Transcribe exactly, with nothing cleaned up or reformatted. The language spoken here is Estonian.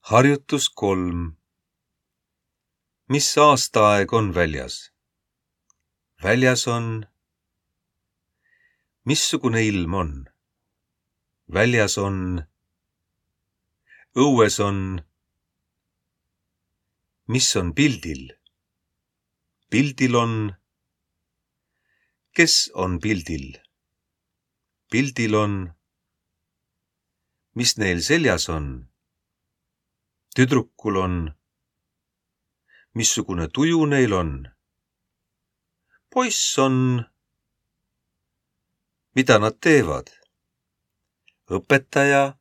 Harjutus kolm. Mis aastaaeg on väljas? Väljas on. Missugune ilm on? Väljas on. Õues on. Mis on pildil? Pildil on. Kes on pildil? Pildil on. Mis neil seljas on? Tüdrukul on. Missugune tuju neil on? Poiss on. Mida nad teevad? Õpetaja